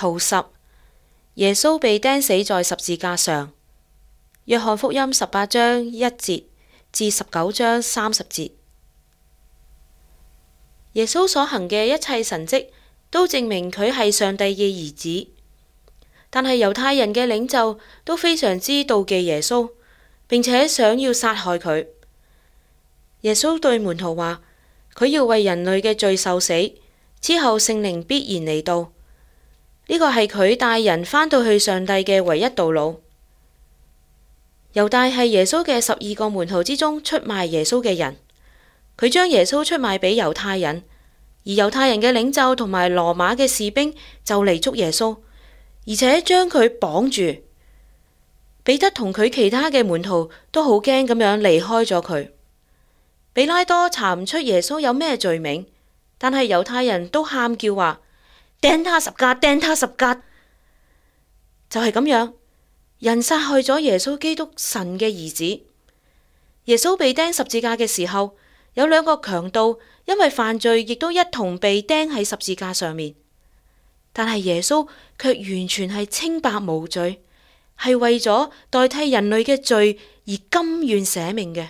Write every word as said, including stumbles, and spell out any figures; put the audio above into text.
圖十，耶穌被釘死在十字架上。約翰福音十八章一節至十九章三十節。耶穌所行嘅一切神蹟都證明佢係上帝嘅兒子，但係猶太人嘅領袖都非常之妒忌耶穌，並且想要殺害佢。耶穌對門徒話，佢要為人類嘅罪受死，之後聖靈必然嚟到。呢個係佢帶人返到去上帝嘅唯一道路。猶大係耶穌嘅十二個門徒之中出賣耶穌嘅人，佢將耶穌出賣俾猶太人，而猶太人嘅領袖同埋羅馬嘅士兵就嚟捉耶穌，而且將佢綁住。彼得同佢其他嘅門徒都好驚咁樣離開咗佢。比拉多查唔出耶穌有咩罪名，但係猶太人都喊叫話釘他十架，釘他十架。就係咁樣，人殺害咗耶穌基督神嘅兒子。耶穌被釘十字架嘅時候，有兩個強盜因為犯罪，亦都一同被釘喺十字架上面。但係耶穌卻完全係清白無罪，係為咗代替人類嘅罪而甘願捨命嘅。